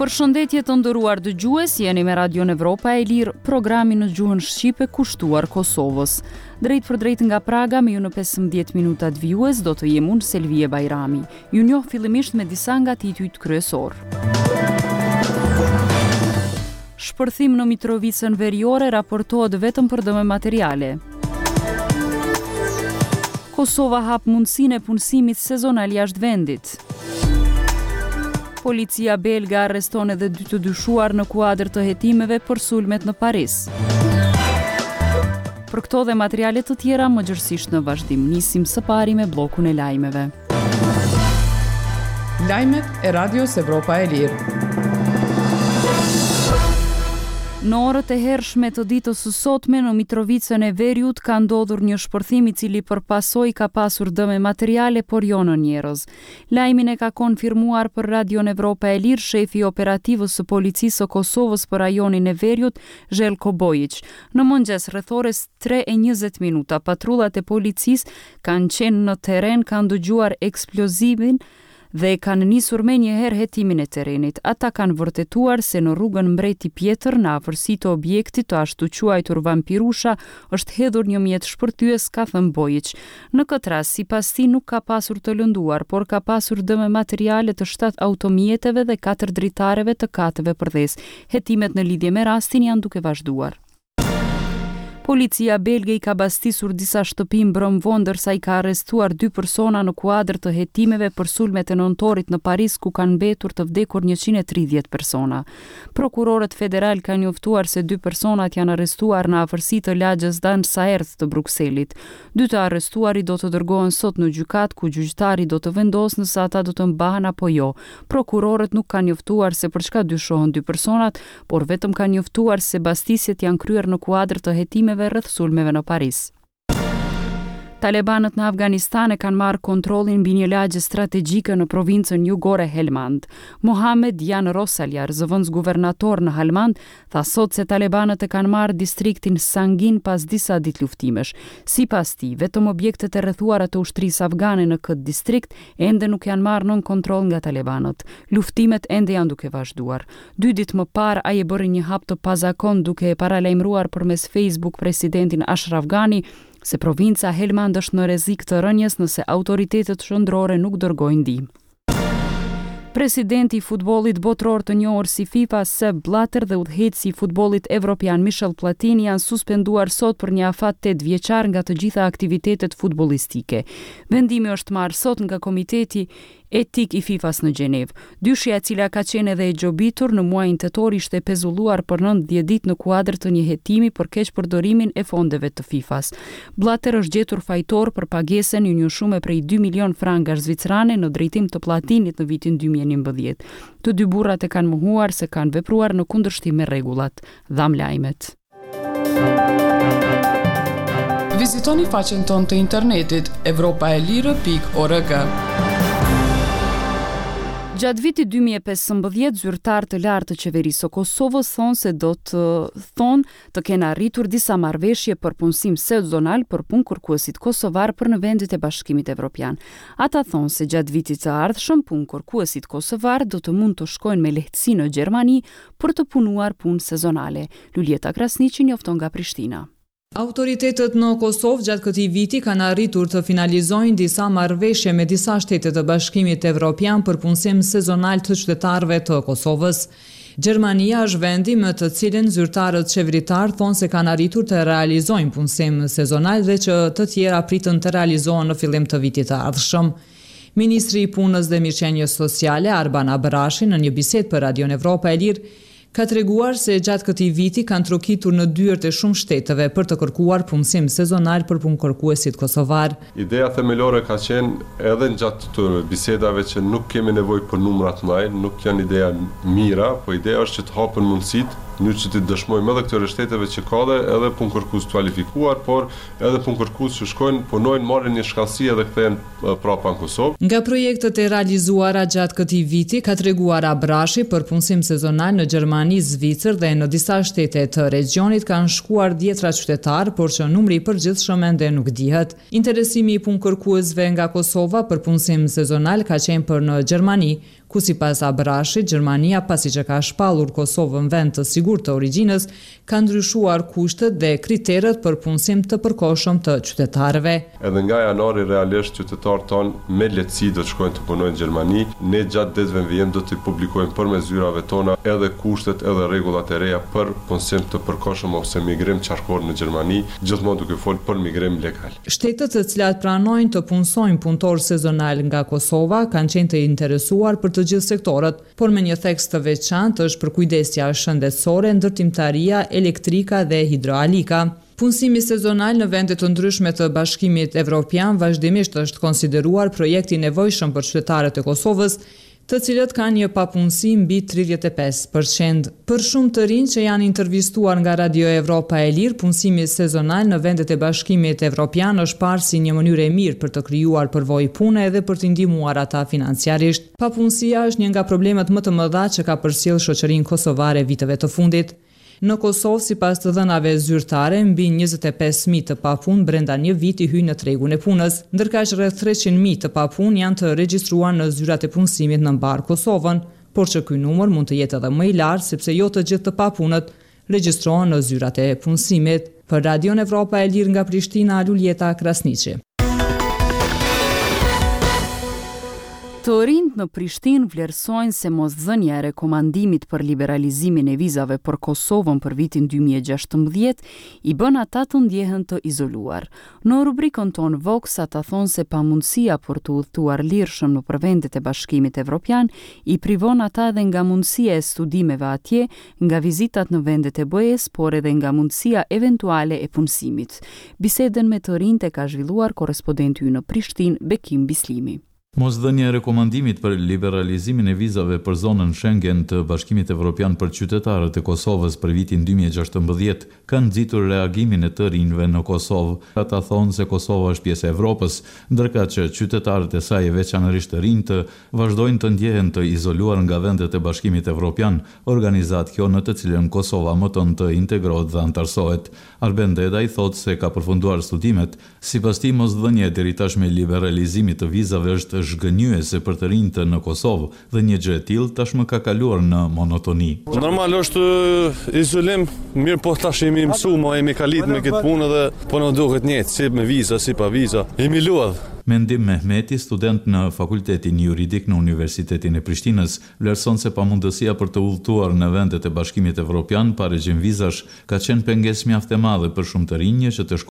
Përshëndetje të nderuar dëgjues, jeni me Radion Evropa e Lirë, programin në gjuhën shqipe kushtuar Kosovës. Drejtpërdrejt nga Praga me ju në 15 minutat vijues do të jem unë Selvije Bajrami. Ju njoh fillimisht me disa nga titujt kryesorë. Shpërthim në Mitrovicën Veriore raportohet vetëm për dëme materiale. Kosova hap mundësinë e punësimit sezonal jashtë vendit. Policia belge arreston edhe dy të dyshuar në kuadër të hetimeve për sulmet në Paris. Për këto dhe materiale të tjera më gjerësisht në vazhdim, nisim së pari me bllokun e lajmeve. Lajmet e Radios Evropa e Lirë. Në orët e hershme të ditës së sotme në Mitrovicën e Veriut ka ndodhur një shpërthim i cili për pasojë ka pasur dëme materiale por jo në njerëz. Lajmin e ka konfirmuar për Radion Evropa e Lirë shefi i operativës së Policisë së Kosovës për rajonin e Veriut, Zhelko Bojiq. Në mëngjes rreth orës 3:20 minuta patrullat e policisë kanë qenë në terren, kanë dëgjuar eksplozivin dhe kanë nisur menjëherë hetimin e terrenit. Ata kanë vërtetuar se në rrugën Mbreti Pjetër, në afërsi të objektit të ashtuquajtur Vampirusha, është hedhur një mjet shpërthyes, ka thënë Bojiq. Në këtë rast, sipas tij, nuk ka pasur të lënduar, por ka pasur dëme materiale të shtatë automjeteve dhe katër dritareve të kateve përdhes. Hetimet në lidhje me rastin janë duke vazhduar. Policia belge i ka bastisur disa shtëpi mbrëmë vonë ndërsa i ka arrestuar dy persona në kuadër të hetimeve për sulmet e nëntorit në Paris ku kanë mbetur të vdekur 130 persona. Prokurorët federalë kanë njoftuar se dy personat janë arrestuar në afërsi të lagjes Dansaert të Brukselit. Dy të arrestuarit do të dërgohen sot në gjykatë ku gjyqtari do të vendosë nëse ata do të mbahen apo jo. Prokurorët nuk kanë njoftuar se për çka dyshohen dy personat, por vetëm kanë njoftuar se bastisjet janë kryer në kuadër të hetimeve rreth sulmeve në Paris. Talebanët në Afganistan e kanë marrë kontrollin mbi një lagje strategjike në provincën jugore Helmand. Mohamed Jan Rosaljar, zëvendësguvernator në Helmand, tha sot se talebanët e kanë marrë distriktin Sangin pas disa ditë luftimesh. Sipas tij, vetëm objektet e rrethuara të ushtrisë afgane në këtë distrikt ende nuk janë marrë nën kontroll nga talebanët. Luftimet ende janë duke vazhduar. Dy ditë më parë, ai e bëri një hap të pazakontë duke e paralajmëruar përmes Facebook presidentin Ashraf Ghani se provinca Helmand është në rrezik të rënies nëse autoritetet qendrore nuk dërgojnë ndihmë. Presidenti i futbollit botëror të njohur si FIFA, Sepp Blatter dhe udhëheqësi i futbollit evropian Michel Platini janë suspenduar sot për një afat tetëvjeçar nga të gjitha aktivitetet futbollistike. Vendimi është marrë sot nga Komiteti Etik i FIFA-s në Gjenevë. Dyshja e cila ka qenë edhe e gjobitur, në muajin tetor ishte pezulluar për 90 ditë në kuadër të një hetimi për keqpërdorimin e fondeve të FIFA-s. Blatter është gjetur fajtor për pagesën e një shume prej 2 milionë frangash zvicerane në drejtim të Platinit në vitin 2011. Të dy burrat e kanë mohuar se kanë vepruar në kundërshtim me rregullat. Dhamë lajmet. Vizitoni faqen tonë të internetit evropaelire.org. Gjatë vitit 2015, zyrtarë të lartë të qeverisë së Kosovës thonë se do të thonë të kenë arritur disa marrëveshje për punësim sezonal për punëkërkuesit kosovarë për në vendet e Bashkimit Evropian. Ata thonë se gjatë vitit të ardhshëm punëkërkuesit kosovarë do të mund të shkojnë me lehtësi në Gjermani për të punuar punë sezonale. Luljeta Krasniqi njofton nga Prishtina. Autoritetet në Kosovë gjatë këtij viti kanë arritur të finalizojnë disa marrëveshje me disa shtete të Bashkimit Evropian për punësim sezonal të qytetarëve të Kosovës. Gjermania është vendi me të cilin zyrtarët qeveritarë thonë se kanë arritur të realizojnë punësim sezonal dhe që të tjera priten të realizohen në fillim të vitit të ardhshëm. Ministri i Punës dhe Mirëqenies Sociale, Arban Abrashi, në një bisedë për Radion Evropa e Lirë, ka treguar se gjatë këtij viti kanë trokitur në dyert e shumë shteteve për të kërkuar punësim sezonal për punëkërkuesit kosovarë. Ideja themelore ka qenë edhe gjatë këtyre bisedave që nuk kemi nevojë për numra të mëdhenj, nuk janë ideja mira, po ideja është që të hapen mundësitë. Mënyrë që t'i dëshmojmë edhe këtyre shteteve që ka dhe edhe punëkërkues të kualifikuar, por edhe punëkërkues që shkojnë, punojnë, marrin një shkallësi edhe kthehen prapa në Kosovë. Nga projektet e realizuara gjatë këtij viti, ka treguar Abrashi, për punësim sezonal në Gjermani, Zvicër dhe në disa shtete të regjionit kanë shkuar dhjetra qytetarë, por që numri i përgjithshëm ende nuk dihet. Interesimi i punëkërkuesve nga Kosova për punësim sezonal ka qenë për në Gjermani, ku sipas Abrashit, Gjermania pasi që ka shpallur Kosovën vend të sigurt të origjinës, ka ndryshuar kushtet dhe kriteret për punësim të përkohshëm të qytetarëve. Edhe nga janari realisht qytetarët tanë me lehtësi do të shkojnë të punojnë në Gjermani. Ne gjatë ditëve në vijim do t'i publikojmë përmes zyrave tona edhe kushtet edhe rregullat e reja për punësim të përkohshëm ose migrim qarkor në Gjermani, gjithmonë duke folë për migrim legal. Shtetet të cilat pranojnë të punësojnë punëtorë sezonalë nga Kosova kanë qenë të interesuar për të gjithë sektorët, por me një theks të veçantë është përkujdesja shëndetësore, ndërtimtaria, elektrika dhe hidroalika. Punësimi sezonal në vende të ndryshme të Bashkimit Evropian vazhdimisht është konsideruar projekt i nevojshëm për qytetarët e Kosovës, të cilët kanë një papunësi mbi 35 për qind. Për shumë të rinj që janë intervistuar nga Radio Evropa e Lirë, punësimi sezonal në vendet e Bashkimit Evropian është parë si një mënyrë e mirë për të krijuar përvojë pune edhe për t'i ndihmuar ata financiarisht. Papunësia është një nga problemet më të mëdha që ka përcjellë shoqërinë kosovare viteve të fundit. Në Kosovë, sipas të dhënave zyrtare, mbi 25.000 të papunë brenda një viti hyjnë në tregun e punës. Ndërkaq rreth 300.000 të papunë janë të regjistruar në zyrat e punësimit në mbarë Kosovën, por që ky numër mund të jetë edhe më i lartë sepse jo të gjithë të papunët regjistrohen në zyrat e punësimit. Për Radion Evropa e Lirë nga Prishtina, Luljeta Krasniqi. Të rinjtë në Prishtinë vlerësojnë se mosdhënia e rekomandimit për liberalizimin e vizave për Kosovën për vitin 2016 i bën ata të ndjehen të izoluar. Në rubrikën tonë Vox ata thonë se pamundësia për të udhëtuar lirshëm nëpër vendet e Bashkimit Evropian i privon ata edhe nga mundësia e studimeve atje, nga vizitat në vendet e BE-së, por edhe nga mundësia eventuale e punësimit. Bisedën me të rinjtë e ka zhvilluar korrespondenti ynë në Prishtinë, Bekim Bislimi. Mosdhënia e rekomandimit për liberalizimin e vizave për zonën Schengen të Bashkimit Evropian për qytetarët e Kosovës për vitin 2016 ka nxitur reagimin e të rinjve në Kosovë. Ata thonë se Kosova është pjesë e Evropës, ndërkaq që qytetarët e saj e veçanërisht të rinjtë vazhdojnë të ndjehen të izoluar nga vendet e Bashkimit Evropian, organizatë kjo në të cilën Kosova mëton të integrohet dhe anëtarësohet. Arben Dedaj thotë se ka përfunduar studimet. Sipas tij, mosdhënia e deritashme e liberalizimit të vizave është zhgënjyese për të rinjtë në Kosovë dhe një gjë e tillë tashmë ka kaluar në monotoni. Normal është izolim, mirëpo tash jemi mësu, ma jemi kalit me këtë punë dhe po na duket njëjtë, si me viza, si pa viza, jemi lodhë. Mendim Mehmeti, student në Fakultetin Juridik në Universitetin e Prishtinës, vlerëson se pamundësia për të udhëtuar në vendet e Bashkimit Evropian pa regjim vizash ka qenë pengesë mjaft e madhe për shumë të rinj që të.